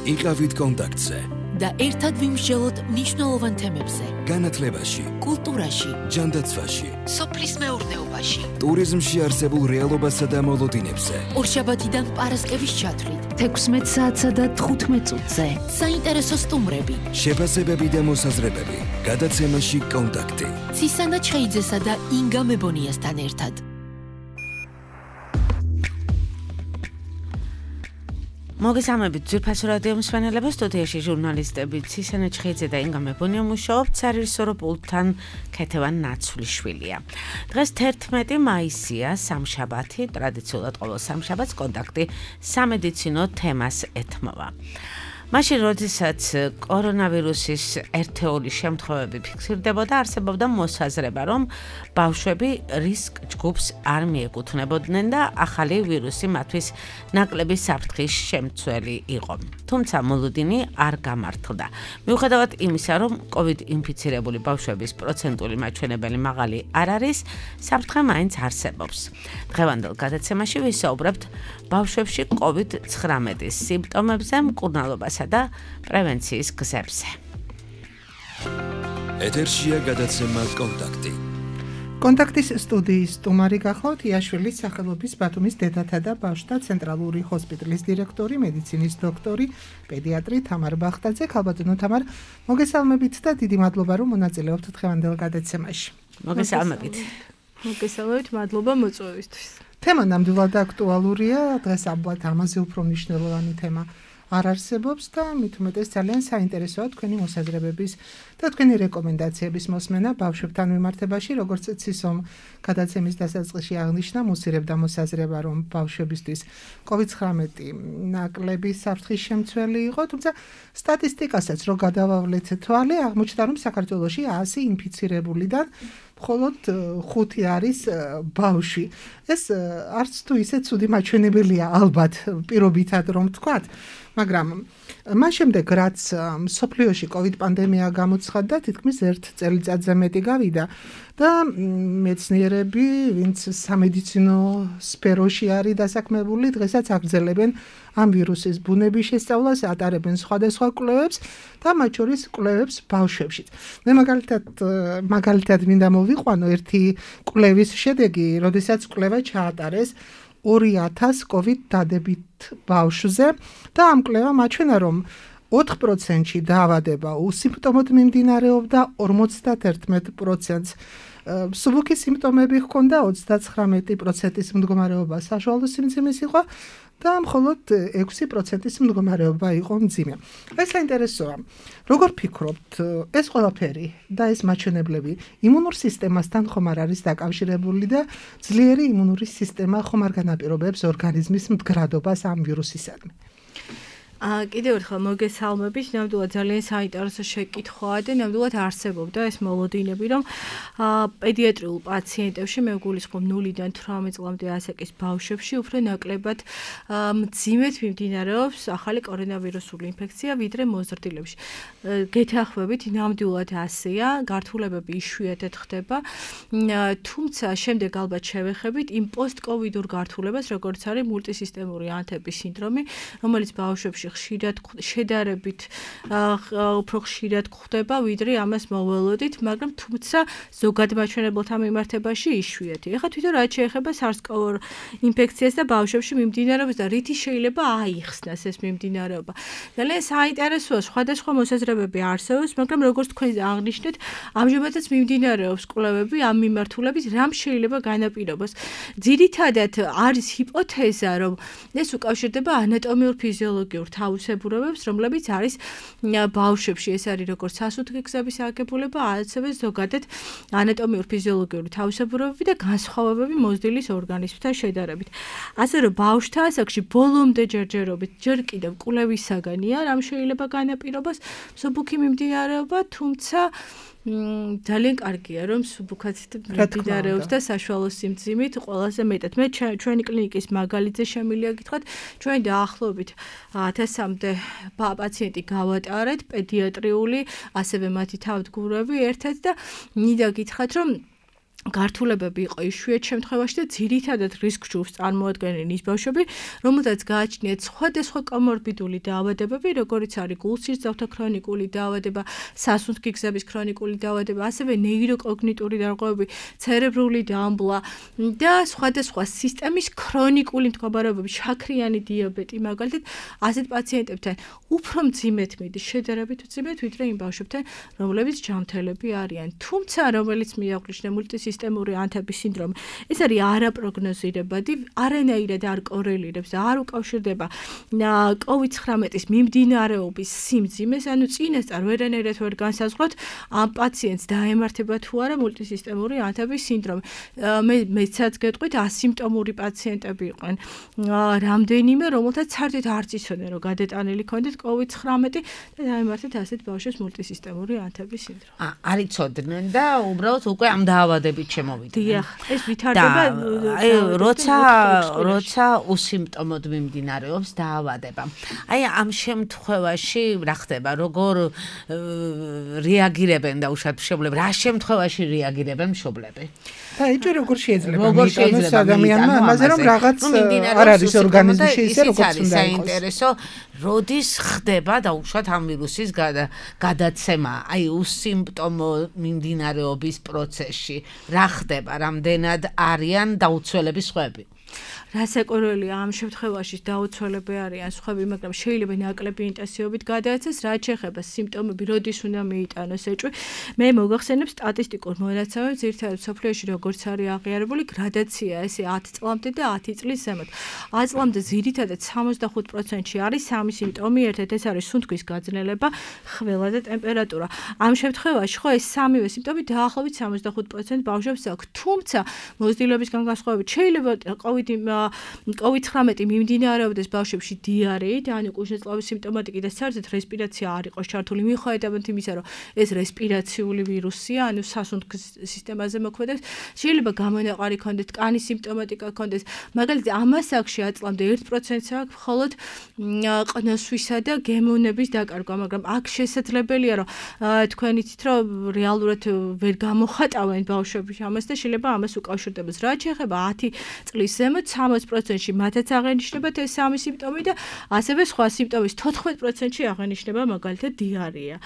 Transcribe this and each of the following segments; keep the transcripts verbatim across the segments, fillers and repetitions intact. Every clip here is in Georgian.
იყავით კონტაქტზე და ერთად ვიმსჯელოთ მნიშვნელოვან თემებზე. განათლებაში, კულტურაში, ჯანდაცვაში, სოფლის მეურნეობაში, ტურიზმში არსებულ რეალობასა და მოლოდინებზე. ორშაბათიდან პარასკევის ჩათვლით, თექვსმეტ საათსა და თხუთმეტ წუთზე. საინტერესო სტუმრები, შეფასებები და მოსაზრებები. გადაცემაში კონტაქტი. ცისანა ჩხეიძესა და ინგა მებონიასთან ერთად. მოგესალმებით ძვირფასო რადიო მსმენელებო, სტუდიაში ჟურნალისტები ცისანა ჩხეიძე და ინგა მებონია მუშაობთ, სარეჟისორო პულტთან ქეთევან ნაცვლიშვილია. დღეს თერთმეტი მაისია, სამშაბათი, ტრადიციულად ყოველ სამშაბათს კონტაქტი სამედიცინო თემას ეთმობა. მაშინ, როდესაც კორონავირუსის ერთეული შემთხვევები ფიქსირდებოდა, არსებობდა მოსაზრება, რომ ბავშვები რისკ ჯგუფს არ მიეკუთვნებოდნენ და ახალი ვირუსი მათთვის ნაკლები საფრთხის შემცველი იყო. თუმცა მოლოდინი არ გამართლდა. მიუხედავად იმისა, რომ COVID ინფიცირებული ბავშვების პროცენტული მაჩვენებელი მაღალი არ არის, საფრთხე მაინც არსებობს. დღევანდელ გადაცემაში ვისაუბრებთ ბავშვებში COVID ცხრამეტის სიმპტომებზე, მკურნალობასა და პრევენციის გზებზე. ეთერშია გადაცემა კონტაქტი. კონტაქტის სტუდიის სტუმარი გახლავთ იაშვილის სახელობის ბათუმის დედათა და ბავშვთა ცენტრალური ჰოსპიტალის დირექტორი, მედიცინის დოქტორი, პედიატრი თამარ ბახტაძე. ქალბატონო თამარ, მოგესალმებით და დიდი მადლობა, რომ მონაწილეობთ დღევანდელ გადაცემაში. მოგესალმებით. მოგესალმებით, მადლობა მოწვევისთვის. თემა ნამდვილად აქტუალურია, დღეს ალბათ ამაზე უფრო მნიშვნელოვანი თემა არ არსებობს და მით უმეტეს ძალიან საინტერესოა თქვენი მოსაზრებების და თქვენი რეკომენდაციების მოსმენა ბავშვებთან მიმართებაში, როგორც ცისომ გადაცემის დასაწყისში აღნიშნა, მუსირებდა მოსაზრება, რომ ბავშვებისთვის COVID ცხრამეტი ნაკლები საფრთხის შემცველი იყო, თუმცა სტატისტიკასაც რო გადავავლეთ თვალე, აღმოჩნდა, რომ საქართველოში ასი ინფიცირებულიდან მხოლოდ ხუთი არის ბავშვი. ეს არც თუ ისე ცუდი მაჩვენებელია ალბათ პირობითად რომ ვთქვათ, მაგრამ მას შემდეგ რაც მსოფლიოში COVID პანდემია გამოცხადდა, თითქმის ერთ წელიწადზე მეტი გავიდა და მეცნიერები, ვინც სამედიცინო სფეროში არის დასაქმებული, დღესაც აგრძელებენ ამ ვირუსის ბუნების შესწავლას, ატარებენ სხვადასხვა კვლევებს და მათ შორის კვლევებს ბავშვებშიც. მე მაგალითად მაგალითად მინდა მოვიყვანო ერთი კვლევის შედეგი, როდესაც კვლევა ჩაატარეს ორი ათას COVID დადებით ბავშვზე და ამ კვლევამ აჩვენა, რომ ოთხ პროცენტში დაავადება უსიმპტომოდ მიმდინარეობდა, ორმოცდაერთმეტ პროცენტს მსუბუქი სიმპტომები ჰქონდა, ოცდაცხრამეტი პროცენტის მდგომარეობა საშუალო სიმძიმის იყო და მხოლოდ ექვსი პროცენტის მდგომარეობა იყო მძიმე. ეს საინტერესოა. როგორ ფიქრობთ, ეს ყველაფერი და ეს მაჩვენებლები იმუნურ სისტემასთან ხომ არ არის დაკავშირებული და ძლიერი იმუნური სისტემა ხომ არ განაპირობებს ორგანიზმის მდგრადობას ამ ვირუსისადმი? აა კიდევ ერთხელ მოგესალმებით, ნამდვილად ძალიან საინტერესო შეკითხვაა და ნამდვილად არსებობდა ეს მოლოდინები, რომ აა პედიატრიულ პაციენტებში, მე ვგულისხმობ ნულიდან თვრამეტ წლამდე ასაკის ბავშვებში უფრო ნაკლებად მძიმედ მიმდინარეობს ახალი კორონავირუსული ინფექცია, ვიდრე მოზრდილებში. გეთანხმებით, ნამდვილად ასეა, გართულებები იშვიათად ხდება, თუმცა შემდეგ ალბათ შევეხებით იმ პოსტკოვიდურ გართულებას, როგორც არის მულტისისტემური ანთების სინდრომი, რომელიც ბავშვებში ხშირად შედარებით უფრო ხშირად გვხდება, ვიდრე ამას მოველოდით, მაგრამ თუმცა ზოგად მაჩვენებელთა მიმართებაში იშვიათი. ეხლა თვითონ რაც შეეხება SARS-CoV ინფექციას და ბავშვებში მიმდინარეობს და რითი შეიძლება აიხსნას ეს მიმდინარეობა. ძალიან საინტერესოა, სხვადასხვა მოსაზრებები არსებობს, მაგრამ როგორც თქვენ აღნიშნეთ, ამჟამადაც მიმდინარეობს კვლევები ამ მიმართულებით, რამ შეიძლება განაპირობოს. ძირითადად არის ჰიპოთეზა, რომ ეს უკავშირდება ანატომიურ ფიზიოლოგიურ თავისებურებებს, რომლებიც არის ბავშვებში, ეს არის როგორც სასუთხი გზების აგებულება, ასევე ზოგადად ანატომიურ ფიზიოლოგიური თავისებურებები და განსხვავებები მოზრდილის ორგანიზმთან შედარებით. ასე რომ ბავშვთა ასაკში ბოლომდე ჯერჯერობით ჯერ კიდევ კვლევისაგანია, რამ შეიძლება განაპირობას მსუბუქი მიმდინარეობა, თუმცა ძალიან კარგია, რომ სუბუქად მიმდინარეობს და საშუალო სიმძიმით ყველაზე მეტად. მე ჩვენი კლინიკის მაგალითზე შემიძლია გითხრათ, ჩვენ დაახლოებით ათასამდე პაციენტი გავატარეთ, პედიატრიული, ასევე მათი თავდგურები ერთად და მინდა გითხრათ, რომ გართულებები იყო იშვიათ შემთხვევაში და ძირითადად რისკ ჯგუფს წარმოადგენენ ის ბავშვები, რომელთაც გააჩნიათ სხვადასხვა კომორბიდული დაავადებები, როგორიც არის გულსისძავთა ქრონიკული დაავადება, სასუნთქი გზების ქრონიკული დაავადება, ასევე ნეიროკოგნიტური დარღვევები, ცერებრული დამბლა და სხვადასხვა სისტემის ქრონიკული მდგომარეობები, შაქრიანი დიაბეტი, მაგალითად, ასეთ პაციენტებთან უფრო მძიმედ მიდის, შედარებით მძიმედ, ვიდრე იმ ბავშვებთან, რომლებიც ჯანმრთელები არიან. თუმცა, რომელიც მიაღნიშნა მულტისისტემური ანთების სინდრომი, ეს არის არაპროგნოზირებადი, არანაირად არ კორელირებს და არ უკავშირდება კოვიდ ცხრამეტის მიმდინარეობის სიმძიმეს, ანუ წინასწარ ვერანაირად ვერ განსაზღვროთ ამ პაციენტს დაემართება თუ არა მულტისისტემური ანთების სინდრომი. მე მეცაც გეტყვით ასიმპტომური პაციენტები იყვნენ რამდენიმე, რომელთაც საერთოდ არც იცოდნენ, რომ გადატანილი ქონდეთ კოვიდ ცხრამეტი და დაემართეთ ასეთ ბავშვებს მულტისისტემური ანთების სინდრომი. არ იცოდნენ და უბრალოდ უკვე ამ დაავადებით შემოვიდნენ. დიახ, ეს ვითარდება აი როცა როცა უსიმპტომოდ მიმდინარეობს დაავადება. აი ამ შემთხვევაში რა ხდება, როგორ რეაგირებენ დაუშვათ მშობლები, რა შემთხვევაში რეაგირებენ მშობლები? და იცი როგორ შეიძლება მიიტანოს ადამიანმა ამაზე რომ რაღაც არ არის ორგანიზმში ისე როგორც უნდა იყოს. საინტერესო როდის ხდება დაუშვათ ამ ვირუსის გადაცემა, აი უსიმპტომო მიმდინარეობის პროცესში რა ხდება, რამდენად არიან დაუცველები სხვები? რასაკვირველია ამ შემთხვევაში დაუცველები არიან სხვები, მაგრამ შეიძლება ნაკლები ინტენსივობით გადაეცეს, რაც შეეხება სიმპტომები, როდის უნდა მიიტანოს ეჭვი. მე მოგახსენებ სტატისტიკურ მონაცემებს, ძირითადად სოფლიოში როგორც არის აღიარებული გრადაცია, ესე ათი წლამდე და ათი წლის ზემოთ. ათი წლამდე ძირითადად სამოცდახუთ პროცენტში არის სამი სიმპტომი, ერთად ეს არის სუნთქვის გაძნელება, ხველა და ტემპერატურა. ამ შემთხვევაში ხო ეს სამივე სიმპტომი დაახლოებით სამოცდახუთ პროცენტ ბავშვებს აქვს. თუმცა მოზრდილობისგან განსხვავებით შეიძლება კოვიდი კოვიდ ცხრამეტი მიმდინარეობდეს ბავშვებში დიარეით, ანუ კუჭნეწლავის სიმპტომატიკი და საერთოდ რესპირაცია არ იყოს ჩართული, მიუხედავად იმისა, რომ ეს რესპირაციული ვირუსია, ანუ სასუნთქის სისტემაზე მოქმედებს, შეიძლება გამონაყარი ქონდეს, კანის სიმპტომატიკა ქონდეს. მაგალითად, ამას აქვს ათი წლამდე ერთ პროცენტს აქვს მხოლოდ ყნოსვისა და გემოვნების დაკარგვა, მაგრამ აქ შესაძლებელია, რომ თქვენ იცით, რომ რეალურად ვერ გამოხატავენ ბავშვები ამას და შეიძლება ამას უკავშირდებოს. რაც შეეხება ათი წლის ზემოთ სამოცდაოთხ პროცენტში მათაც აღენიშნებათ ეს სამი სიმპტომი და ასევე სხვა სიმპტომის თოთხმეტ პროცენტში აღენიშნება მაგალითად დიარეა.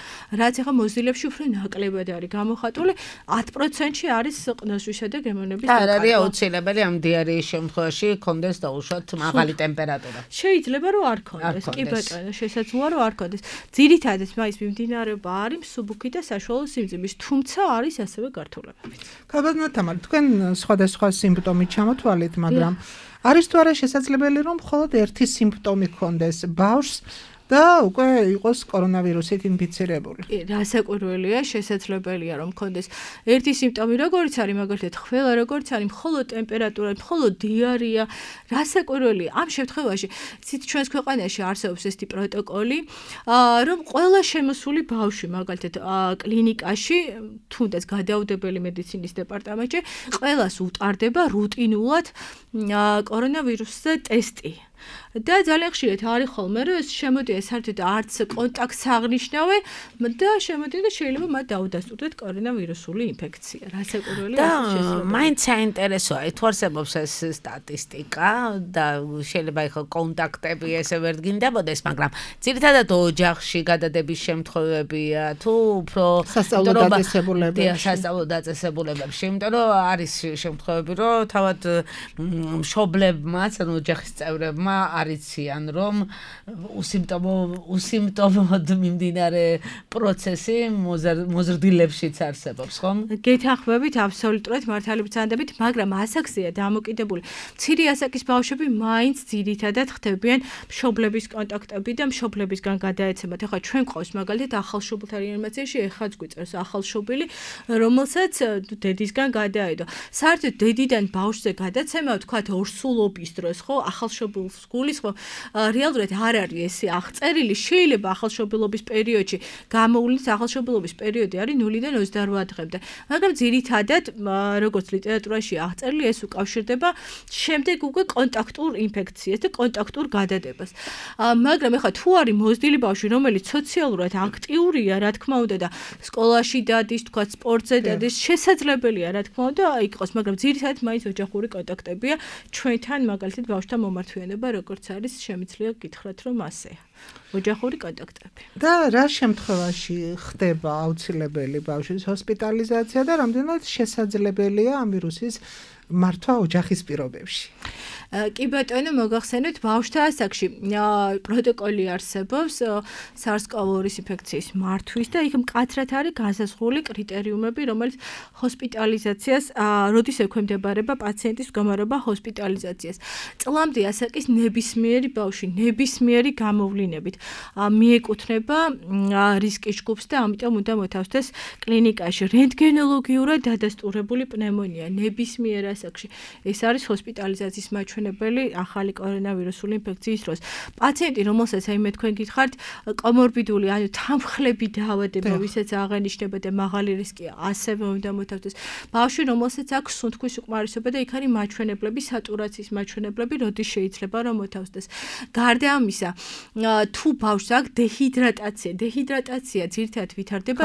რაც ახლა მოზრდილებში უფრო ნაკლებად არის გამოხატული, ათი პროცენტში არის ყნოსვისა და გემოვნების დაკარგვა. და არის აუცილებელი ამ დიარეის შემთხვევაში კონდეს დაუშვათ მაღალი ტემპერატურა. შეიძლება რომ არ კონდეს, კი ბატონო, შესაძლოა რომ არ კონდეს. ძირითადად მაინც მიმდინარეობა არის მსუბუქი და საშუალო სიმძიმის, თუმცა არის ასევე გართულებები. გაბატონო თამარ, თქვენ სხვადასხვა სიმპტომით ჩამოთვალეთ, მაგრამ არის თუ არა შესაძლებელი რომ მხოლოდ ერთი სიმპტომი ჰქონდეს ბავშვს და უკვე იყოს კორონავირუსით ინფიცირებული. რასაკვირველია, შესაძლებელია რომ ჰქონდეს ერთი სიმპტომი, როგორიც არის მაგალითად ხველა, როგორიც არის მხოლოდ ტემპერატურა, მხოლოდ დიარეა. რასაკვირველია, ამ შემთხვევაში ცით ჩვენს ქვეყანაში არსებობს ესეთი პროტოკოლი, რომ ყველა შემოსული ბავშვი მაგალითად კლინიკაში, თუნდაც გადაუდებელი მედიცინის დეპარტამენტში, ყველას უტარდება რუტინულად კორონავირუსზე ტესტი. და ძალიან ხშირად არის ხოლმე, რომ ეს შემოდია საერთოდ არც კონტაქტს აღნიშნავენ და შემოდია და შეიძლება მათ დაუდასტურდეთ კორონავირუსული ინფექცია. რასაკვირველია და მაინც საინტერესოა, თუ არსებობს ეს სტატისტიკა და შეიძლება ეხლა კონტაქტები ესე ვერ გინდებოდეს, მაგრამ ძირითადად ოჯახში გადადების შემთხვევებია თუ უფრო სასწავლო დაწესებულებებში. სასწავლო დაწესებულებებში, იმიტომ რომ არის შემთხვევები, რომ თავად მშობლებმაც, ანუ ოჯახის წევრებმა არიციან რომ უსიმპტომო უსიმპტომოდ მიმდინარე პროცესი მოზრდილებშიც არსებობს, ხომ? გეთანხმებით, აბსოლუტურად მართალი ბრძანდებით, მაგრამ ასაკზეა დამოკიდებული. მცირე ასაკის ბავშვები მაინც ძირითადად ხდებიან მშობლების კონტაქტები და მშობლებისგან გადაეცემათ. ახლა ჩვენ ყავს მაგალითად ახალშობილთა რეანიმაციაში ეხაც გვიწერს ახალშობილი, რომელსაც დედისგან გადაედო. საერთოდ დედიდან ბავშვზე გადაცემა, ვთქვათ, ორსულობის დროს, ხო, ახალშობილს გულისხმობ, რეალურად არ არის ესე აღწერილი, შეიძლება ახალშობილობის პერიოდში გამოვლინდეს ახალშობილობის პერიოდი არის ნულიდან ოცდაოთხ დღემდე. მაგრამ ძირითადად როგორც ლიტერატურაში აღწერილი ეს უკავშირდება შემდეგ უკვე კონტაქტურ ინფექციას და კონტაქტურ გადადებას. მაგრამ ეხლა თუ არის მოზრდილი ბავშვი, რომელიც სოციალურად აქტიურია, რა თქმა უნდა და სკოლაში დადის, თქვა სპორტზე დადის, შესაძლებელია რა თქმა უნდა იყოს, მაგრამ ძირითადად მაინც ოჯახური კონტაქტებია ჩვენთან მაგალითად ბავშვთან მომართვიანება როგორც არის შემიძლია გითხრათ რომ ასეა. ოჯახური კონტაქტები. და რა შემთხვევაში ხდება აუცილებელი ბავშვის ჰოსპიტალიზაცია და რამდენად შესაძლებელია ამ ვირუსის მართვა ოჯახის პირობებში? კი ბატონო, მოგახსენეთ, ბავშვთა ასაკში პროტოკოლი არსებობს SARS-CoV two ინფექციის მართვის და იქ მკაცრად არის განსაზღვრული კრიტერიუმები, რომელიც ჰოსპიტალიზაციას, როდის ექვემდებარება პაციენტის მდგომარეობა ჰოსპიტალიზაციას. წლამდე ასაკის ნებისმიერი ბავშვი, ნებისმიერი გამოვლინებით მიეკუთვნება რისკის ჯგუფს და ამიტომ უნდა მოთავსდეს კლინიკაში. რენტგენოლოგიურად დადასტურებული პნევმონია ნებისმიერ ასაკში. ეს არის ჰოსპიტალიზაციის მაჩვენებელი ახალი კორონავირუსული ინფექციის დროს. პაციენტი, რომელსაც აი მე თქვენ გითხართ, კომორბიდული, ანუ თანმხლები დაავადება, ვისაც აღენიშნება და მაღალი რისკია, ასევე უნდა მოთავსდეს. ბავშვი, რომელსაც აქვს სუნთქვის უკმარისობა და იქ არის მაჩვენებლები, სატურაციის მაჩვენებლები, როდის შეიძლება რომ მოთავსდეს. გარდა ამისა, თუ ბავშვს აქვს დეჰიდრატაცია, დეჰიდრატაცია ძირითადად ვითარდება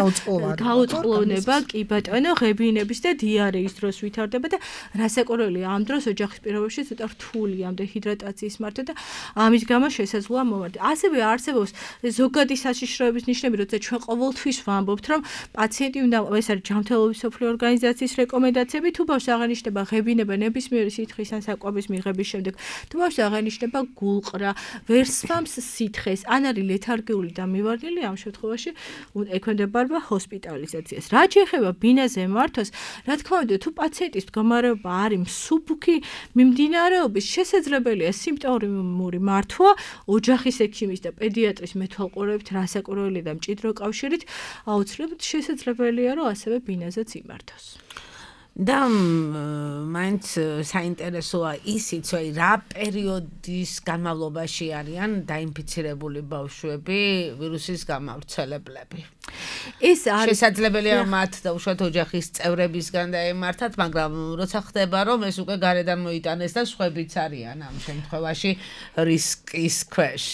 გაუწყლოვნება, კი ბატონო, ღებინების და დიარეის დროს ვითარდება და რასაკვირველია, ამ დროს ოჯახის პირობებში ცოტა რთულია ამ დეჰიდრატაციის მართვა და ამის გამო შესაძლოა მომართვა. ასევე არსებობს ზოგადი საშიშროების ნიშნები, როცა ჩვენ ყოველთვის ვამბობთ, რომ პაციენტი უნდა ეს არის ჯანმრთელობის მსოფლიო ორგანიზაციის რეკომენდაციები, თუ ბავშვს აღენიშნება ღებინება ნებისმიერი სითხის ან საკვების მიღების შემდეგ, თუ ბავშვს აღენიშნება გულყრა, ვერ სვამს სითხეს, ან არის ლეთარგიული და მივარდნილი, ამ შემთხვევაში ექვემდებარება ჰოსპიტალიზაციას. რაც შეეხება ბინაზე მართვას, რა თქმა უნდა, თუ პაციენტის მდგომარეობა არის მსუბუქი მიმდინარეობის, შესაძლებელია სიმპტომური მართვა ოჯახის ექიმის და პედიატრის მეთვალყურეობით, რასაკვირველია და მჭიდრო კავშირით, აუცილებლად შესაძლებელია, რომ ასევე ბინაზეც იმართოს. და მაინც საინტერესოა ისიც, რომ რა პერიოდის განმავლობაში არიან დაინფიცირებული ბავშვები ვირუსის გამავრცელებლები. ეს არის შესაძლებელია მათ და უშუალოდ ოჯახის წევრებისგან დაემართათ, მაგრამ როცა ხდება, რომ ეს უკვე გარედან მოიტანეს და სხვებიც არიან ამ შემთხვევაში რისკის ქვეშ.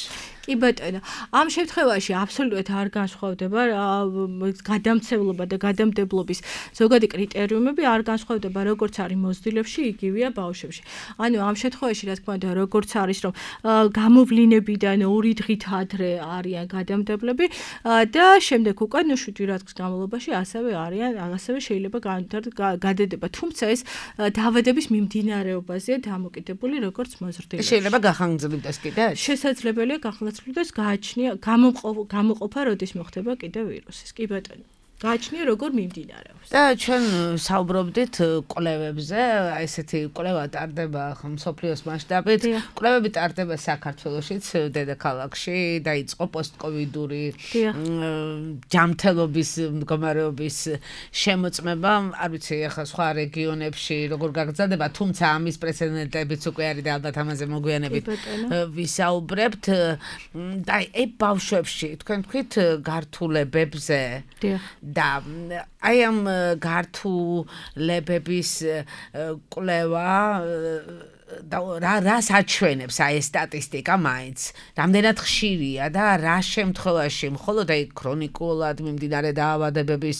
კი ბატონო, ამ შემთხვევაში აბსოლუტურად არ განსხვავდება გადამცემლობა და გადამდებლობის ზოგადი კრიტერიუმები არ განსხვავდება როგორც არის მოზრდილებში, იგივეა ბავშვებში. ანუ ამ შემთხვევაში რა თქმა უნდა, როგორც არის რომ გამოვლინებიდან ორი დღით ადრე არიან გადამდებლები და შემდეგ უკვე ნუ შვიდი რიცხვის განმავლობაში ასევე არიან, ასევე შეიძლება გადადება. თუმცა ეს დაავადების მიმდინარეობაზეა დამოკიდებული როგორც მოზრდილებში. შეიძლება გახანგრძლივდეს კიდე? შესაძლებელია გახანგრძლივდეს გააჩნია გამოყოფა როდის მოხდება კიდე ვირუსის. კი ბატონო. გააჩნია როგორ მიმდინარეობს. და ჩვენ საუბრობდით კვლევებზე, აი ესეთი კვლევა ტარდება მსოფლიოს მასშტაბით. კვლევები ტარდება საქართველოშიც, დედაქალაქში, დაიწყო პოსტკოვიდური ჯანმრთელობის მდგომარეობის შემოწმება. არ ვიცი, ახლა სხვა რეგიონებში როგორ გაგრძელდება, თუმცა ამის პრეცედენტებიც უკვე არის და ალბათ ამაზე მოგვიანებით ვისაუბრებთ. და აი ბავშვებში, თქვენ თქვით გართულებებზე. და აი ამ გართულებების კვლევა და რა რას აჩვენებს აი ეს სტატისტიკა მაინც რამდენად ხშირია და რა შემთხვევაში მხოლოდ აი ქრონიკულად მიმდინარე დაავადებების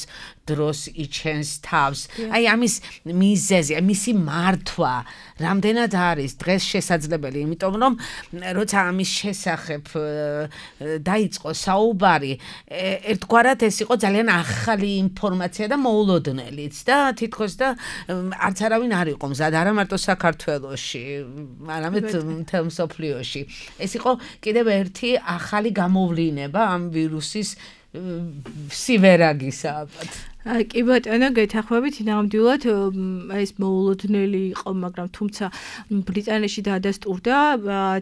დროს იჩენს თავს აი ამის მიზეზი მისი მართვა რამდენად არის დღეს შესაძლებელი იმიტომ რომ როცა ამის შესახებ დაიწყო საუბარი ერთგვარად ეს იყო ძალიან ახალი ინფორმაცია და მოულოდნელიც და თითქოს და არც არავინ არ იყო მზად არა მარტო საქართველოში არამედ მთელ მსოფლიოში ეს იყო კიდევ ერთი ახალი გამოვლინება ამ ვირუსის სივერაგისა ალბათ კი ბატონო, გეთახმებით, ნამდვილად ეს მოულოდნელი იყო, მაგრამ თუმცა ბრიტანეთში დადასტურდა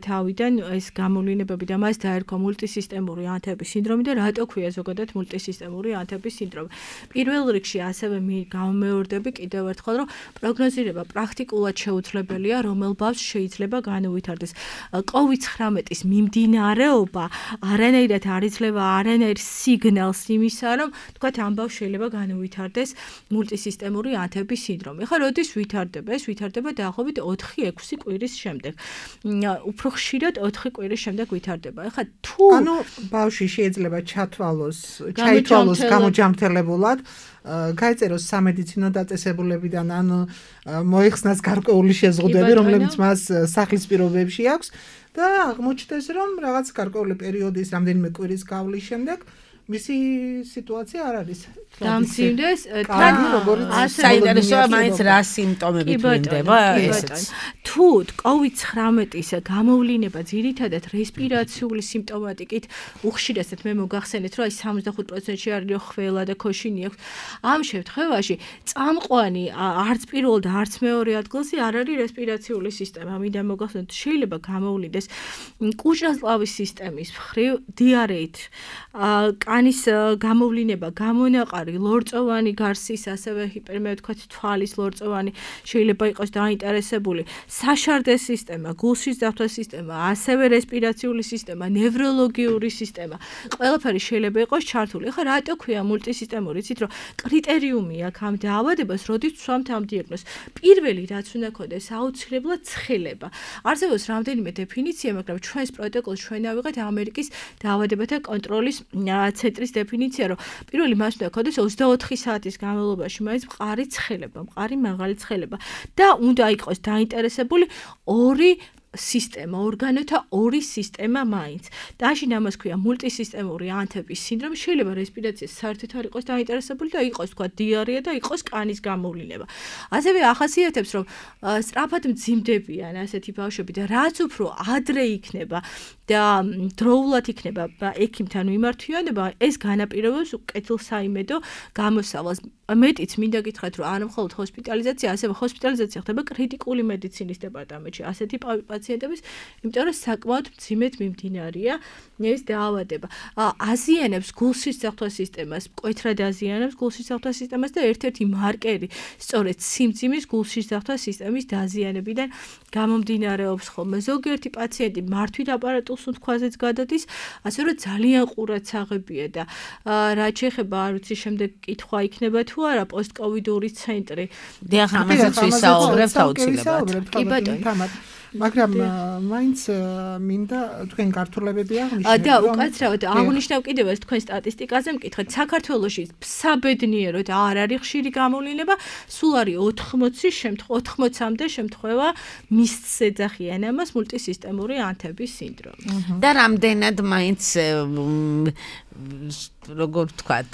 თავიდან ეს გამოვლინებები და მას დაერქვა მულტისისტემური ანთების სინდრომი და რატო ქვია ზოგადად მულტისისტემური ანთების სინდრომი. პირველ რიგში ასევე გამომეორდები კიდევ ერთხელ, რომ პროგნოზირება პრაქტიკულად შეუძლებელია, რომელ ბავშვს შეიძლება განუვითარდეს. კოვიდ ცხრამეტის მიმდინარეობა არანაირად არ იძლევა არანაირ სიგნალს იმისა, რომ თქვათ ამ ბავშვს შეიძლება განუვითარდეს მულტისისტემური ანთების სინდრომი. ხა როდის ვითარდება? ეს ვითარდება დაახლოებით ოთხი ექვსი კვირის შემდეგ. უფრო ხშირად ოთხი კვირის შემდეგ ვითარდება. ხა თუ ანუ ბავშვი შეიძლება ჩათვალოს, ჩაითვალოს გამოჯამრთელებულად, გაეწეროს სამედიცინო დაწესებულებიდან ან მოიხსნას გარკვეული შეზღუდვები, რომლებიც მას სახლის პირობებში აქვს და აღმოჩნდეს, რომ რაღაც გარკვეული პერიოდის რამდენიმე კვირის გავლის შემდეგ მისი სიტუაცია არ არის დამცინდეს თან როგორც საინტერესოა მაინც რა სიმპტომები თვლინდება ესეც თუ კოვიდ ცხრამეტის გამოვლინება ძირითადად რესპირაციული სიმპტომატიკით უხშირესად მე მოგახსენეთ რომ აი სამოცდახუთ პროცენტში არის ხველა და ქოშინი აქვს ამ შემთხვევაში წამყვანი არც პირველ და არც მეორე ადგილზე არ არის რესპირაციული სისტემა მინდა მოგახსენოთ შეიძლება გამოვლინდეს კუჭრასლავის სისტემის მხრივ დიარეით კანის გამოვლინება გამონაყარი ლორწოვანი გარსის ასევე ჰიპერმე თქვათ თვალის ლორწოვანი შეიძლება იყოს დაინტერესებული საშარდეს სისტემა გულშის დაფთვას სისტემა ასევე რესპირაციული სისტემა ნევროლოგიური სისტემა ყველაფერი შეიძლება იყოს ჩართული ხა რატო ქვია მულტისისტემური იცით რომ კრიტერიუმი აქვს ამ დაავადებას როდის ვსვამთ ამ დიაგნოზს პირველი რაც უნდა ქონდეს აუცილებლად ცხელება არსებობს რამდენიმე დეფინიცია მაგრამ ჩვენს პროტოკოლს ჩვენ ავიღეთ ამერიკის დაავადებათა კონტროლის ცენტრის დეფინიცია რომ პირველი მას უნდა ქონდეს ოცდაოთხი საათის განმავლობაში მაინც მყარი ცხელება, მყარი მაღალი ცხელება და უნდა იყოს დაინტერესებული ორი სისტემა, ორგანოთა ორი სისტემა მაინც. დაშინ ამას ქვია მულტისისტემური ანთების სინდრომი, შეიძლება რესპირაციის საერთოდ არ იყოს დაინტერესებული და იყოს თქვა დიარეა და იყოს კანის გამოვლინება. ასევე ახასიათებს რომ სწრაფად მძიმდებიან ასეთი ბავშვები და რაც უფრო ადრე იქნება და დროულად იქნება ექიმთან მიმართვიანება, ეს განაპირობებს კეთილსაიმედო გამოსავალს. მეტიც მინდა გითხრათ რომ არა მხოლოდ ჰოსპიტალიზაცია, ასევე ჰოსპიტალიზაცია ხდება კრიტიკული მედიცინის დეპარტამენტში. ასეთი პაციენტების, იმიტომ რომ საკმაოდ მძიმედ მიმდინარეა ეს დაავადება. აზიანებს გულშის დაფთვას სისტემას, მკვეთრად აზიანებს გულშის დაფთვას სისტემას და ერთ-ერთი მარკერი სწორედ სიმძიმის გულშის დაფთვას სისტემის დაზიანებიდან გამომდინარეობს ხოლმე. ზოგიერთი პაციენტი მართვით აპარატულს უთქვაზეც გადადის, ასე რომ ძალიან ყურად საღებია და რაც შეეხება არ ვიცი შემდეგ კითხვა იქნება თუ არა პოსტკოვიდური ცენტრი. დიახ, ამასაც ვისაუბრებთ აუცილებლად. კი ბატონო. მაგრამ მაინც მინდა თქვენ გართულებები აღნიშნეთ. და უკაცრავად აღნიშნავ კიდევ ეს თქვენ სტატისტიკაზე მკითხეთ. საქართველოში საბედნიეროდ არ არის ხშირი გამოვლენა, სულ არის ოთხმოცი შემთხვევა, ოთხმოცამდე შემთხვევა მისცე ეძახიან ამას მულტისისტემური ანთების სინდრომი. და რამდენად მაინც როგორ ვთქვათ,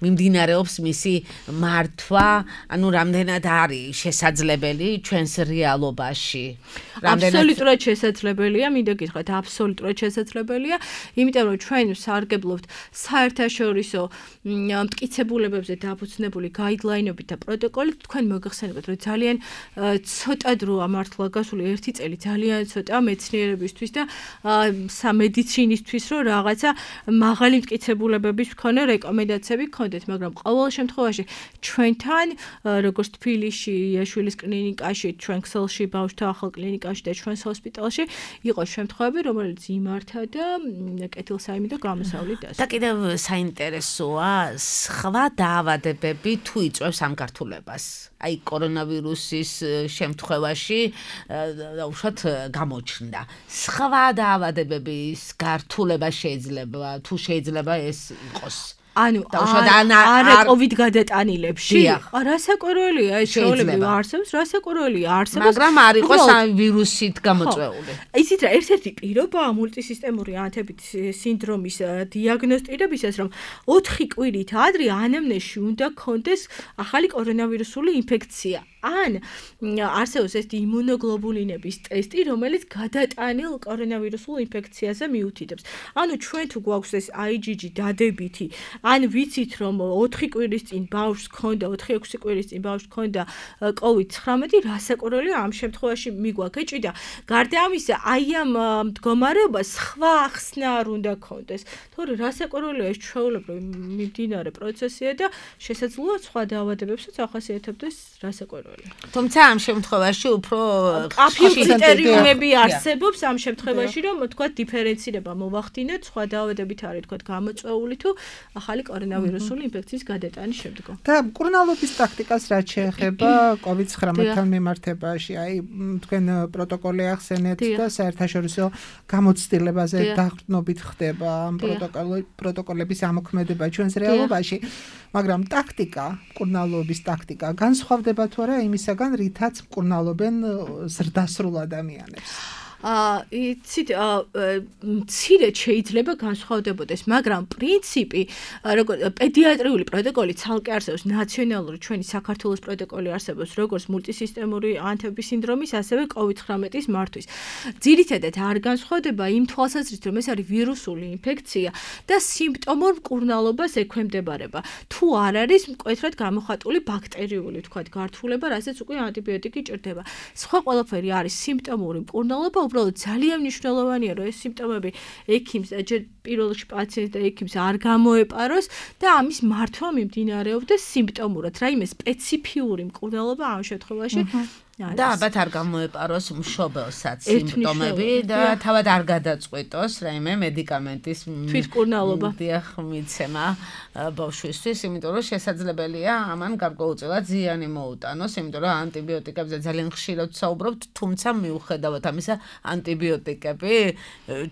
მიმდინარეობს მისი მართვა, ანუ რამდენად არის შესაძლებელი ჩვენს რეალობაში. აბსოლუტურად შესაძლებელია, მინდა გითხრათ, აბსოლუტურად შესაძლებელია, იმიტომ რომ ჩვენ სარგებლობთ საერთაშორისო მტკიცებულებებზე დაფუძნებული გაიდლაინებით და პროტოკოლით, თქვენ მოგახსენებათ, რომ ძალიან ცოტა დროა მართლა გასული ერთი წელი, ძალიან ცოტა მეცნიერებისთვის და სამედიცინისთვის, რომ რაღაცა მაღალი მტკიცებულებების მქონე რეკომენდაციები გქონდეთ, მაგრამ ყოველ შემთხვევაში ჩვენთან, როგორც თბილისში, იაშვილის კლინიკაში, ჩვენ ქსელში, ბავშვთა ახალ კლინიკაში და ჩვენს ჰოსპიტალში იყო შემთხვევები, რომელიც იმართა და კეთილსაიმედო გამოსავლით დასვა. და კიდევ საინტერესოა, სხვა დაავადებები თუ იწვევს ამ გართულებას. აი კორონავირუსის შემთხვევაში უშუალოდ გამოჩნდა. სხვა დაავადებების გართულება შეიძლება, თუ შეიძლება ეს იყოს. ანუ არა კოვიდ გადატანილებში. რასაკვირველია ეს შეუძლებელი არსებობს, რასაკვირველია არსებობს. მაგრამ არ იყოს ამ ვირუსით გამოწვეული. იცით რა, ერთ-ერთი პირობაა მულტისისტემური ანთების სინდრომის დიაგნოსტირებისას, რომ ოთხი კვირით ადრე ანამნეზში უნდა გქონდეს ახალი კორონავირუსული ინფექცია. ან არსებობს ეს იმუნოგლობულინების ტესტი, რომელიც გადატანილ კორონავირუსულ ინფექციაზე მიუთითებს. ანუ ჩვენ თუ გვაქვს ეს I G G დადებითი, ან ვიცით რომ ოთხი კვირის წინ ბავშვს ჰქონდა, ოთხი ექვსი კვირის წინ ბავშვს ჰქონდა კოვიდ ცხრამეტი, რასაკვირველია ამ შემთხვევაში მიგვაქეჭი და გარდა ამისა, აი ამ მდგომარეობას სხვა ახსნა არ უნდა ქონდეს. თორე რასაკვირველია ეს ჩვეულებრივი მიმდინარე პროცესია და შესაძლოა სხვა დაავადებებსაც ახასიათებდეს რასაკვირველია. თუმცა ამ შემთხვევაში უფრო კაფეო კრიტერიუმები არსებობს ამ შემთხვევაში, რომ თქვა დიფერენცირება მოვახდინეთ, სხვა დაავადებით არის თქვა გამოწვეული თუ ახალი კორონავირუსული ინფექციის გადატანის შემდგომ. და მკურნალობის ტაქტიკას რაც შეეხება კოვიდ ცხრამეტთან მიმართებაში, აი თქვენ პროტოკოლი ახსენეთ და საერთაშორისო გამოცდილებაზე დაყრდნობით ხდება ამ პროტოკოლების ამოქმედება ჩვენს რეალობაში, მაგრამ ტაქტიკა, მკურნალობის ტაქტიკა განსხვავდება თუ არა იმისაგან, რითაც მკურნალობენ ზრდასრულ ადამიანებს. აა იცით მცირედ შეიძლება განსხვავდებოდეს, მაგრამ პრინციპი როგორ პედიატრიული პროტოკოლი ცალკე არსებობს, ნაციონალური ჩვენი საქართველოს პროტოკოლი არსებობს, როგორც მულტისისტემური ანთების სინდრომის, ასევე კოვიდ ცხრამეტის მართვის. ძირითადად არ განსხვავდება იმ თვალსაზრისით, რომ ეს არის ვირუსული ინფექცია და სიმპტომურ მკურნალობას ექვემდებარება. თუ არ არის მკვეთრად გამოხატული ბაქტერიული, თქვათ, გართულება, რასაც უკვე ანტიბიოტიკი ჭირდება. სხვა ყველაფერი არის სიმპტომური მკურნალობა, უბრალოდ ძალიან მნიშვნელოვანია, რომ ეს სიმპტომები ექიმს, ჯერ პირველ რიგში პაციენტს და ექიმს არ გამოეპაროს და ამის მართვა მიმდინარეობდეს სიმპტომურად. რაიმე სპეციფიური მკურნალობა ამ შემთხვევაში და ალბათ არ გამოეპაროს მშობელსაც სიმპტომები და თავად არ გადაწყვეტოს რაიმე მედიკამენტის თვითმკურნალობა. დიახ, მიცემა ბავშვისთვის, იმიტომ რომ შესაძლებელია ამან გარკვეულწილად ზიანი მოუტანოს, იმიტომ რომ ანტიბიოტიკებზე ძალიან ხშირად საუბრობთ, თუმცა მიუხედავად ამისა, ანტიბიოტიკები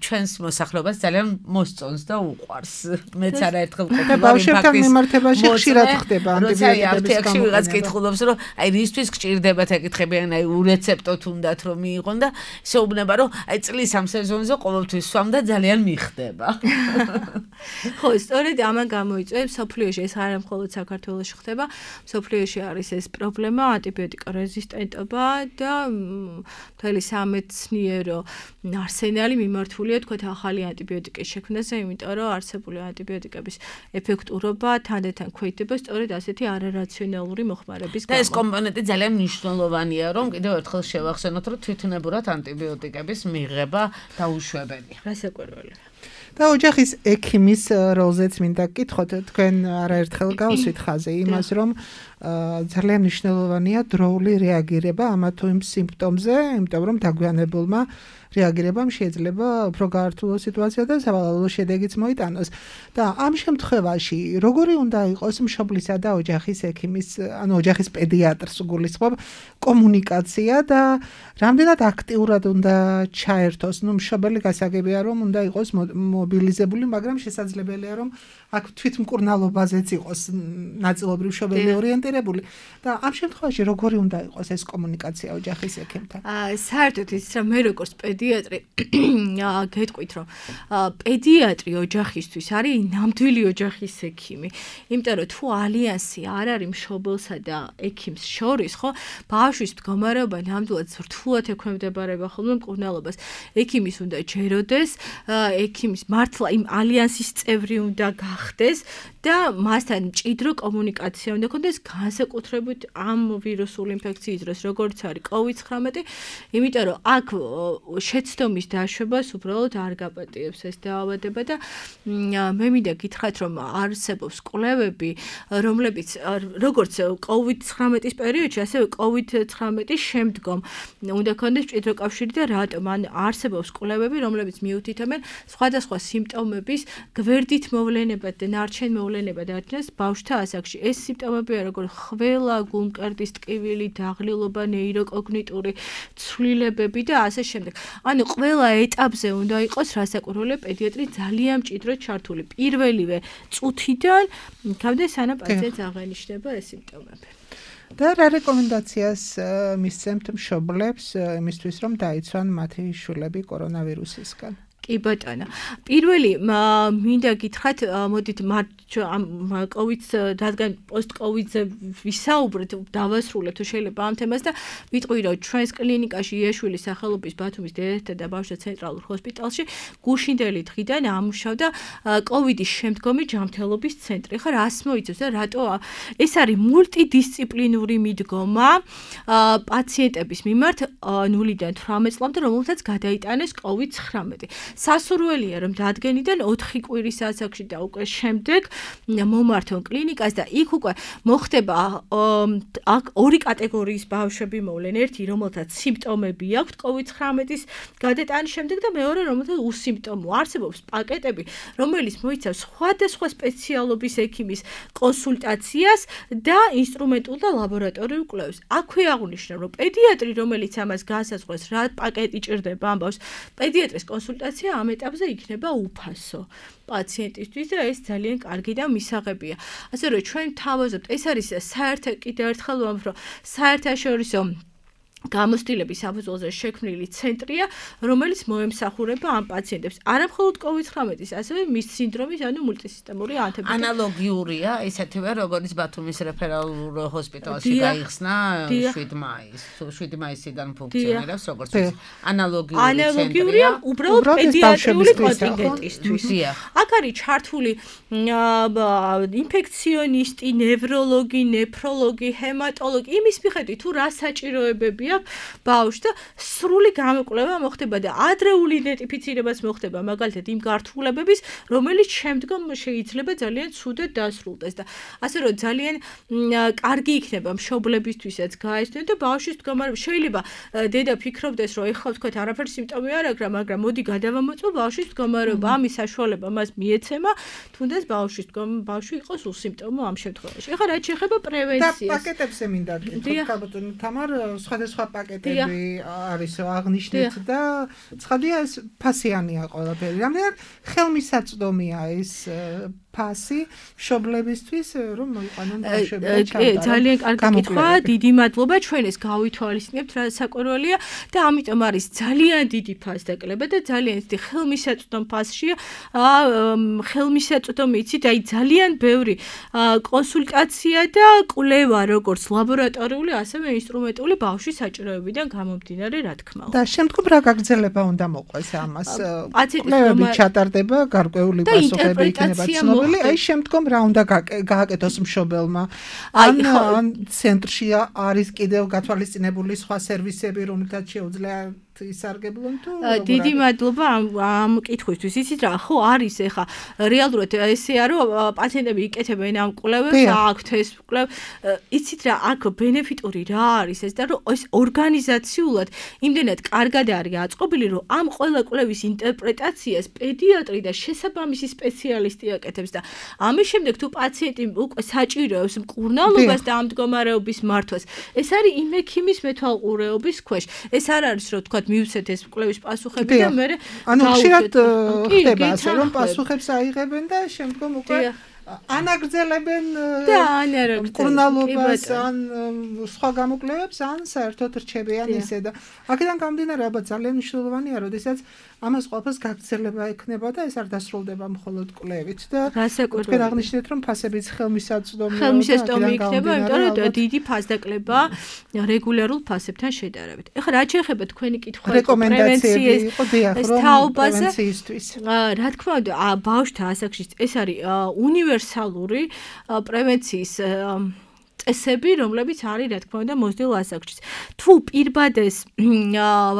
ჩვენს მოსახლეობას ძალიან მოსწონს და უყვარს. მეც არაერთხელ ყოფილა ბავშვებთან მიმართებაში ხშირად ხდება ანტიბიოტიკების ანტიბიოტიკების ვიღაც კითხულობს, რომ აი რისთვის გჭირდებათ ეკითხები აი ურეცეპტო თუნდაც რომ მიიღონ და შეუბნება რომ აი წლის ამ სეზონზე ყოველთვის სვამ და ძალიან მიხდება. ხო, სწორედ ამან გამოიწვევს სოფლიოში, ეს არ მხოლოდ საქართველოში ხდება, სოფლიოში არის ეს პრობლემა, ანტიბიოტიკორეზისტენტობა და მთელი სამეცნიერო არსენალი მიმართულია თქვათ ახალი ანტიბიოტიკის შექმნაზე, იმიტომ რომ არსებული ანტიბიოტიკების ეფექტურობა თანდათან ქვეითდება სწორედ ასეთი არარაციონალური მოხმარების გამო. და ეს კომპონენტი ძალიან მნიშვნელოვანია, რომ კიდევ ერთხელ შევახსენოთ, რომ თვითნებურად ანტიბიოტიკების მიღება დაუშვებელია. რასაკვირველია. და ოჯახის ექიმის როლზეც მინდა გკითხოთ, თქვენ არაერთხელ გავსვით ხაზე იმას, რომ ძალიან მნიშვნელოვანია დროული რეაგირება ამა თუ იმ სიმპტომზე, იმიტომ რომ დაგვიანებულმა რეაგირებამ შეიძლება უფრო გაართულოს სიტუაცია და სავალალო შედეგიც მოიტანოს. და ამ შემთხვევაში როგორი უნდა იყოს მშობლისა და ოჯახის ექიმის, ანუ ოჯახის პედიატრს გულისხმობ, კომუნიკაცია და რამდენად აქტიურად უნდა ჩაერთოს, ну მშობელი გასაგებია რომ უნდა იყოს მობილიზებული, მაგრამ შესაძლებელია რომ აქ თვითმკურნალობაზეც იყოს ნაწილობრივ მშობელი ორიენტირებული და ამ შემთხვევაში როგორი უნდა იყოს ეს კომუნიკაცია ოჯახის ექიმთან? აა საერთოდ ის რა მე როგორც პედიატრი გეტყვით რომ პედიატრი ოჯახისთვის არის ნამდვილი ოჯახის ექიმი. იმიტომ რომ თუ ალიანსი არ არის მშობელსა და ექიმს შორის, ხო, ბავშვის მდგომარეობა ნამდვილად რთულად ექვემდებარება ხოლმე მკურნალობას. ექიმის უნდა ჯეროდეს, ექიმის მართლა იმ ალიანსის წევრი უნდა გახდეს და მასთან მჭიდრო კომუნიკაცია უნდა ქონდეს განსაკუთრებით ამ ვირუსული ინფექციის დროს, როგორც არის კოვიდ ცხრამეტი, იმიტომ რომ აქ შეცდომის დაშვებას უბრალოდ არ გაპატიებს ეს დაავადება და მე მინდა გითხრათ, რომ არსებობს კვლევები, რომლებიც როგორც კოვიდ ცხრამეტის პერიოდში, ასევე კოვიდ ცხრამეტის შემდგომ უნდა ქონდეს მჭიდრო კავშირი და რატომ? ან არსებობს კვლევები, რომლებიც მიუთითებენ სხვადასხვა სიმპტომების გვერდით მოვლენებად და ნარჩენ მოვლენებად არჩენს ბავშვთა ასაკში. ეს სიმპტომებია როგორც ხველა, გულმკერდის ტკივილი, დაღლილობა, ნეიროკოგნიტური ცვლილებები და ასე შემდეგ. ანუ ყველა ეტაპზე უნდა იყოს რასაკვირველია პედიატრი ძალიან მჭიდროდ ჩართული. პირველივე წუთიდან იქამდე სანამ პაციენტს აღენიშნება ეს სიმპტომები. და რა რეკომენდაციას მისცემთ მშობლებს იმისთვის, რომ დაიცვან მათი შვილები კორონავირუსისგან? კი ბატონო. პირველი მინდა გითხრათ, მოდით ამ კოვიდს, რადგან პოსტ-კოვიდზე ვისაუბრეთ, დავასრულეთ თუ შეიძლება ამ თემას და ვიტყვი, რომ ჩვენს კლინიკაში იაშვილის სახელობის ბათუმის დედათა და ბავშვთა ცენტრალურ ჰოსპიტალში გუშინდელი დღიდან ამუშავდა კოვიდის შემდგომი ჯანმრთელობის ცენტრი. ხა რას მოიცავს და რატო ეს არის მულტიდისციპლინური მიდგომა პაციენტების მიმართ ნულიდან თვრამეტ წლამდე, რომელთაც გადაიტანეს კოვიდ ცხრამეტი. სასურველია, რომ დადგენიდან ოთხი კვირის ასაკში და უკვე შემდეგ მომართონ კლინიკას და იქ უკვე მოხდება აქ ორი კატეგორიის ბავშვები მოვლენ. ერთი, რომელთაც სიმპტომები აქვთ კოვიდ ცხრამეტის გადატანის შემდეგ და მეორე, რომელთაც უსიმპტომო. არსებობს პაკეტები, რომელიც მოიცავს სხვადასხვა სპეციალობის ექიმის კონსულტაციას და ინსტრუმენტულ და ლაბორატორიულ კვლევებს. აქვე აღნიშნა, რომ პედიატრი, რომელიც ამას განსაზღვრებს, რა პაკეტი ჭირდება ამბავს, პედიატრის კონსულტაცია ამ ეტაპზე იქნება უფასო პაციენტისთვის და ეს ძალიან კარგი და მისაღებია. ასე რომ ჩვენ თავაზობთ, ეს არის საერთო კიდევ ერთხელ ვამბობ, რომ საერთაშორისო გამოცდილების საფუძველზე შექმნილი ცენტრია, რომელიც მოემსახურება ამ პაციენტებს. არა მხოლოდ კოვიდ ცხრამეტის, ასევე მის სინდრომის, ანუ მულტისისტემური ანთებითი. ანალოგიურია, ესეთივე როგორც ბათუმის რეფერალურ ჰოსპიტალში გაიხსნა შვიდი მაისს. შვიდი მაისიდან ფუნქციონირებს როგორც ანალოგიური ცენტრია. ანალოგიურია უბრალოდ პედიატრიული კონტინგენტისთვის. აქ არის ჩართული ინფექციონისტი, ნევროლოგი, ნეფროლოგი, ჰემატოლოგი, იმის მიხედვით თუ რა საჭიროებებია ბავშვს და სრული გამოკვლევა მოხდება და ადრეული იდენტიფიცირებაც მოხდება მაგალითად იმ გართულებების, რომელიც შემდგომ შეიძლება ძალიან ცუდად დასრულდეს და ასე რომ ძალიან კარგი იქნება მშობლებისთვისაც გაესწრონ და ბავშვის მდგომარეობა. შეიძლება დედა ფიქრობდეს, რომ ეხლა თქვათ არაფერი სიმპტომი არ აქვს, მაგრამ მოდი გადავამოწმო ბავშვის მდგომარეობა, ამის საშუალება მას მიეცემა, თუნდაც ბავშვის ბავშვი იყოს უსიმპტომო ამ შემთხვევაში. ეხლა რაც შეეხება პრევენციას. და პაკეტებზე მინდა გითხრათ, თამარ, სხვადასხვა პაკეტები არის აღნიშნეთ და ცხადია ეს ფასიანია ყველაფერი. რამდენად ხელმისაწვდომია ეს ფასი მშობლებისთვის, რომ მოიყვანონ ბავშვები და ჩავდარონ. ძალიან კარგი კითხვა, დიდი მადლობა, ჩვენ ეს გავითვალისწინებთ, რა საკვირველია და ამიტომ არის ძალიან დიდი ფასდაკლება და ძალიან დიდი ხელმისაწვდომ ფასშია. ხელმისაწვდომი იცით, აი ძალიან ბევრი კონსულტაცია და კვლევა, როგორც ლაბორატორიული, ასევე ინსტრუმენტული ბავშვის საჭიროებიდან გამომდინარე, რა თქმა უნდა. და შემდგომ რა გაგრძელება უნდა მოყვეს ამას? კვლევები ჩატარდება, გარკვეული პასუხები იქნება ცნობილი. აი შემდგომ რა უნდა გააკეთოს მშობელმა? ან ან ცენტრში არის კიდევ გათვალისწინებული სხვა სერვისები, რომელთაც შეუძლია ისარგებლონ თუ დიდი მადლობა ამ კითხვისთვის. იცით რა, ხო არის ეხა რეალურად ესეა, რომ პაციენტები იკეთებენ ამ კვლევებს, აქვთ ეს კვლევ. იცით რა, აქ ბენეფიტური რა არის ეს და რომ ეს ორგანიზაციულად იმდენად კარგად არის აწყობილი, რომ ამ ყველა კვლევის ინტერპრეტაციას პედიატრი და შესაბამისი სპეციალისტი აკეთებს და ამის შემდეგ თუ პაციენტი უკვე საჭიროებს მკურნალობას და ამ მდგომარეობის მართვას, ეს არის იმ ექიმის მეთვალყურეობის ქვეშ. ეს არ არის რომ თქვა მივცეთ ეს კვლევის პასუხები და მე ანუ ხშირად ხდება ასე რომ პასუხებს აიღებენ და შემდგომ უკვე ანაგრძელებენ მკურნალობას ან სხვა გამოკვლევებს ან საერთოდ რჩებიან ისე და აქედან გამომდინარე ალბათ ძალიან მნიშვნელოვანია, როდესაც ამას ყველაფერს გაგრძელება ექნება და ეს არ დასრულდება მხოლოდ კვლევით და თქვენ აღნიშნეთ, რომ ფასებიც ხელმისაწვდომია. ხელმისაწვდომი იქნება, იმიტომ რომ დიდი ფასდაკლება რეგულარულ ფასებთან შედარებით. ეხლა რა შეეხება თქვენი კითხვა რეკომენდაციები იყო დიახ, რომ პრევენციისთვის. რა თქმა უნდა, ბავშვთა ასაკში ეს არის უნივერსალური პრევენციის წესები, რომლებიც არის, რა თქმა უნდა, მოსდილ ასაკში. თუ პირბადეს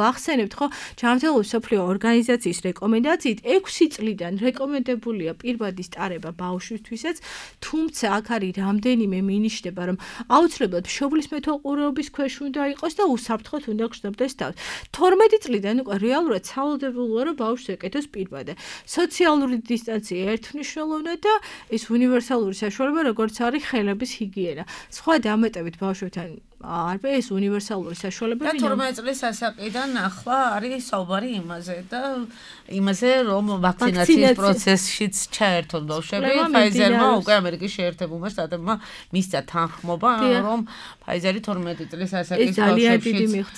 ვახსენებთ, ხო, ჯანმრთელობის მსოფლიო ორგანიზაციის რეკომენდაციით ექვსი წლიდან რეკომენდებულია პირბადის ტარება ბავშვისთვისაც, თუმცა აქ არის რამდენიმე მინიშნება, რომ აუცილებლად მშობლის მეთვალყურეობის ქვეშ უნდა იყოს და უსაფრთხოდ უნდა გრძნობდეს თავს. თორმეტი წლიდან უკვე რეალურად სავალდებელოა, რომ ბავშვს ეკეთოს პირბადე. სოციალური დისტანცია ერთმნიშვნელოვნად და ეს უნივერსალური საშუალება, როგორც არის ხელების ჰიგიენა. სხვა დამეტებით ბავშვებთან არბე ეს უნივერსალური საშუალებები. და თორმეტ წლის ასაკიდან ახლა არის საუბარი იმაზე და იმაზე რომ ვაქცინაციის პროცესშიც ჩაერთონ ბავშვები. Pfizer-მა უკვე ამერიკის შეერთებულმა შტატებმა მისცა თანხმობა რომ Pfizer-ი თორმეტ წლის ასაკის ბავშვებშიც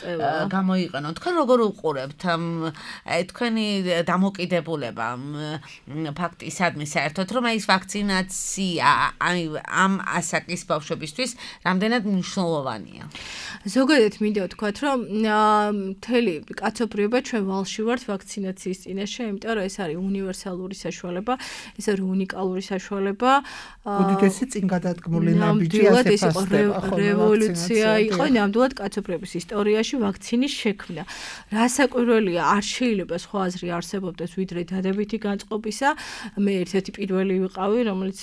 გამოიყენონ. თქვენ როგორ უყურებთ ამ თქვენი დამოკიდებულება ფაქტისადმი საერთოდ რომ ეს ვაქცინაცია ამ ასაკის ბავშვებისთვის რამდენად მნიშვნელოვანია? ზოგადად მინდა ვთქვათ, რომ მთელი კაცობრიობა ჩვენ ვალში ვართ ვაქცინაციის წინაშე, იმიტომ რომ ეს არის უნივერსალური საშუალება, ეს არის უნიკალური საშუალება. უდიდესი წინ გადადგმული ნაბიჯი ასე ფასდება, ხო, რევოლუცია იყო ნამდვილად კაცობრიობის ისტორიაში ვაქცინის შექმნა. რასაკვირველია, არ შეიძლება სხვა აზრი არსებობდეს ვიდრე დადებითი განწყობისა. მე ერთ-ერთი პირველი ვიყავი, რომელიც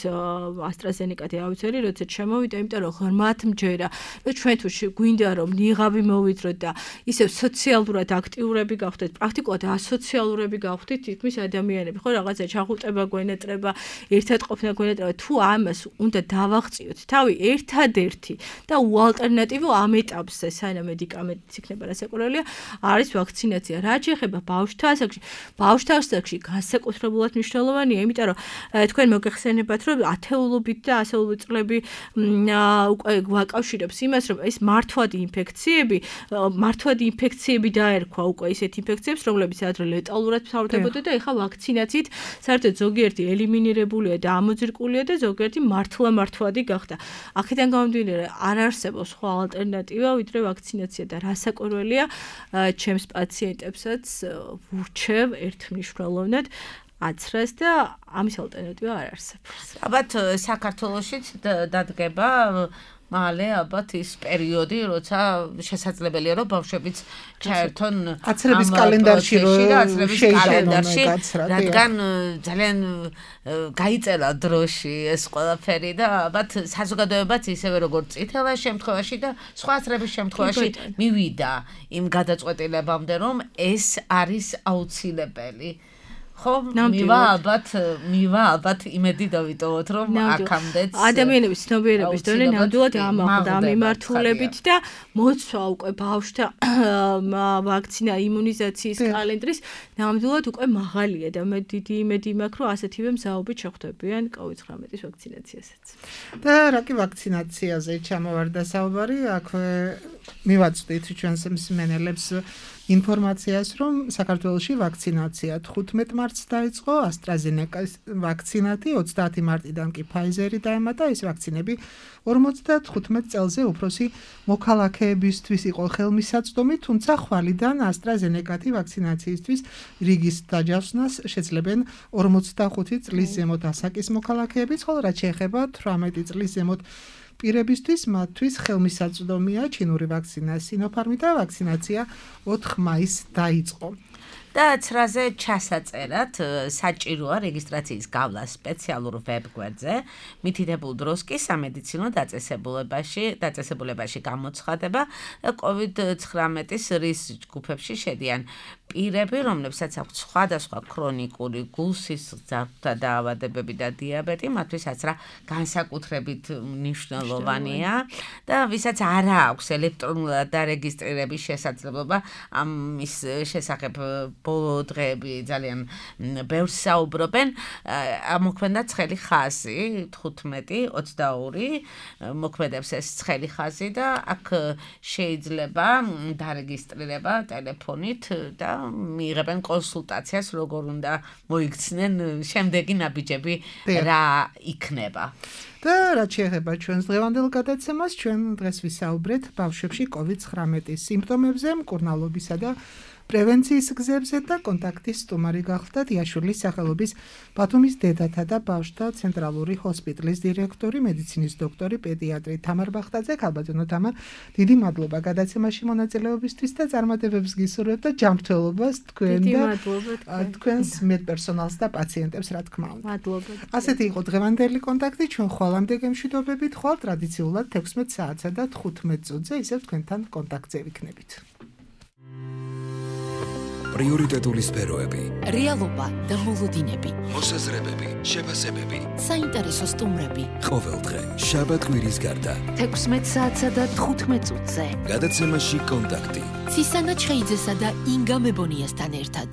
AstraZeneca-ი ავიცერი, როდესაც შემოვიდა, იმიტომ რომ ღრმათ მჯერა, რომ ჩვენ თუ გვინდა რომ ნიღაბი მოვიწროთ და ისევ სოციალურად აქტიურები გავხდეთ, პრაქტიკულად ასოციალურები გავხდით, თითქმის ადამიანები, ხო, რაღაცა ჩახუტება გვენეტრება, ერთად ყოფნა გვენეტრება, თუ ამას უნდა დავაღწიოთ თავი ერთადერთი და უალტერნატივო ამ ეტაპზე, სანამ მედიკამენტიც იქნება რასაკვირველია, არის ვაქცინაცია. რაც შეეხება ბავშვთა ასაკში, ბავშვთა ასაკში განსაკუთრებულად მნიშვნელოვანია, იმიტომ რომ თქვენ მოგეხსენებათ, რომ ათეულობით და ასეულობით წლები უკვე გვაკავშირებს იმას, რომ ეს მართვადი ინფექციები, მართვადი ინფექციები დაერქვა უკვე ისეთ ინფექციებს, რომლებიც ადრე ლეტალურად მთავრდებოდა და ეხლა ვაქცინაციით საერთოდ ზოგიერთი ელიმინირებულია და ამოძირკულია და ზოგიერთი მართლა მართვადი გახდა. აქედან გამომდინარე, არ არსებობს სხვა ალტერნატივა ვიდრე ვაქცინაცია და რასაკვირველია, ჩემს პაციენტებსაც ვურჩევ ერთმნიშვნელოვნად აცრას და ამის ალტერნატივა არ არსებობს. ალბათ საქართველოშიც დადგება მალე ალბათ ის პერიოდი, როცა შესაძლებელია რომ ბავშვებიც ჩაერთონ აცრების კალენდარში კალენდარში, რადგან ძალიან გაიწერა დროში ეს ყველაფერი და ალბათ საზოგადოებაც ისევე როგორც წითელა შემთხვევაში და სხვა აცრების შემთხვევაში მივიდა იმ გადაწყვეტილებამდე, რომ ეს არის აუცილებელი. ხო, მივა ალბათ, მივა ალბათ იმედი დავიტოვოთ, რომ აქამდეც ადამიანების ცნობიერების დონე ნამდვილად ამაღლდა ამ მიმართულებით და მოცვა უკვე ბავშვთა ვაქცინა იმუნიზაციის კალენდრის ნამდვილად უკვე მაღალია და მე დიდი იმედი მაქვს, რომ ასეთივე მზაობით შეხვდებიან კოვიდ ცხრამეტის ვაქცინაციასაც. და რა კი ვაქცინაციაზე ჩამოვარდა საუბარი, აქვე მივაწვდით ჩვენს მსმენელებს ინფორმაციას, რომ საქართველოში ვაქცინაცია თხუთმეტ მარტს დაიწყო, AstraZeneca-ის ვაქცინათი ოცდაათი მარტიდან კი Pfizer-ი დაემატა, ეს ვაქცინები ორმოცდათხუთმეტ წელზე უფროსი მოქალაქეებისთვის იყო ხელმისაწვდომი, თუმცა ხვალიდან AstraZeneca-ი ვაქცინაციისთვის რიგის დაჯავსნას შეძლებენ ორმოცდახუთი წლის ზემოთ ასაკის მოქალაქეებიც, ხოლო რაც შეეხება თვრამეტი წლის ზემოთ პირებისთვის მათთვის ხელმისაწვდომია ჩინური ვაქცინა Sinopharm და ვაქცინაცია ოთხ მაისს დაიწყო. და ცრაზე ჩასაწერად საჭიროა რეგისტრაციის გავლა სპეციალურ ვებგვერდზე, მითითებულ დროს კი სამედიცინო დაწესებულებაში, დაწესებულებაში გამოცხადება და კოვიდ ცხრამეტის რისკ ჯგუფებში შედიან პირები, რომლებსაც აქვთ სხვადასხვა ქრონიკული გულსისხლძარღვთა დაავადებები და დიაბეტი, მათთვის აცრა განსაკუთრებით მნიშვნელოვანია და ვისაც არ აქვს ელექტრონულად დარეგისტრირების შესაძლებლობა, ამის შესახებ ბოლო დღეები ძალიან ბევრს საუბრობენ, მოქმედა ცხელი ხაზი თხუთმეტი ოცდაორი მოქმედებს ეს ცხელი ხაზი და აქ შეიძლება დარეგისტრირება ტელეფონით და მიიღებენ კონსულტაციას, როგორ უნდა მოიქცნენ შემდეგი ნაბიჯები რა იქნება. და რაც შეეხება ჩვენს დღევანდელ გადაცემას, ჩვენ დღეს ვისაუბრეთ ბავშვებში კოვიდ ცხრამეტის სიმპტომებზე, მკურნალობისა და პრევენციის გზებზე და კონტაქტის სტუმარი გახლდათ იაშვილის სახელობის ბათუმის დედათა და ბავშვთა ცენტრალური ჰოსპიტალის დირექტორი, მედიცინის დოქტორი, პედიატრი თამარ ბახტაძე. ქალბატონო თამარ, დიდი მადლობა გადაცემაში მონაწილეობისთვის და წარმატებებს გისურვებთ და ჯანმრთელობას თქვენ და თქვენს მედპერსონალს და პაციენტებს, რა თქმა უნდა. მადლობა. ასეთი იყო დღევანდელი კონტაქტი, ჩვენ ხვალამდე გემშვიდობებით, ხვალ ტრადიციულად თექვსმეტ საათსა და თხუთმეტ წუთზე ისევ თქვენთან კონტაქტზე ვიქნებით. პრიორიტეტული სფეროები, რეალობა და მოლოდინები, მოსაზრებები, შეფასებები, საინტერესო სტუმრები. ყოველდღე, შაბათ-კვირის გარდა. თექვსმეტ საათსა და თხუთმეტ წუთზე. გადაცემაში კონტაქტი. ცისანა ჩხეიძესა და ინგა მებონიასთან ერთად.